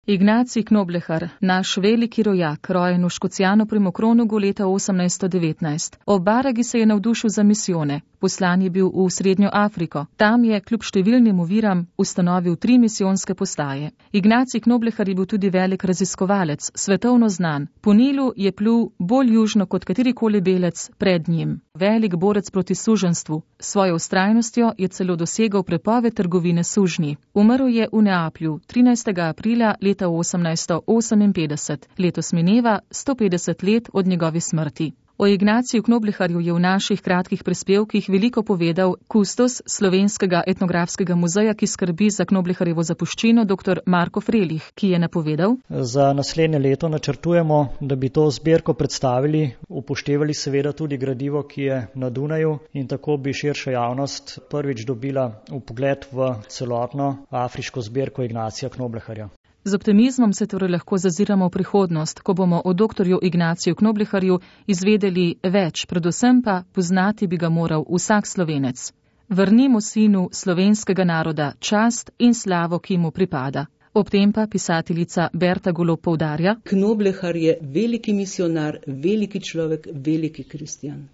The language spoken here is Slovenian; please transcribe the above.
Ignacij Knoblehar, naš veliki rojak, rojen v Škocjanu pri Mokronugu leta 1819. Ob Baragi se je navdušil za misijone. Poslan je bil v Srednjo Afriko. Tam je, kljub številnim oviram, ustanovil 3 misijonske postaje. Ignacij Knoblehar je bil tudi velik raziskovalec, svetovno znan. Po Nilu je plul bolj južno kot katerikoli belec pred njim. Velik borec proti suženjstvu. S svojo vztrajnostjo je celo dosegal prepoved trgovine s sužnji. Umrl je v Neaplju 13. aprila leta 1858. Letos mineva 150 let od njegove smrti. O Ignaciju Knobleharju je v naših kratkih prispevkih veliko povedal kustos Slovenskega etnografskega muzeja, ki skrbi za Knobleharjevo zapuščino, dr. Marko Frelih, ki je napovedal: Za naslednje leto načrtujemo, da bi to zbirko predstavili, upoštevali seveda tudi gradivo, ki je na Dunaju, in tako bi širša javnost prvič dobila vpogled v celotno afriško zbirko Ignacija Knobleharja. Z optimizmom se torej lahko zaziramo v prihodnost, ko bomo o doktorju Ignaciju Knobleharju izvedeli več, predvsem pa poznati bi ga moral vsak Slovenec. Vrnimo sinu slovenskega naroda čast in slavo, ki mu pripada. Ob tem pa pisateljica Berta Golob poudarja: Knoblehar je veliki misionar, veliki človek, veliki kristjan.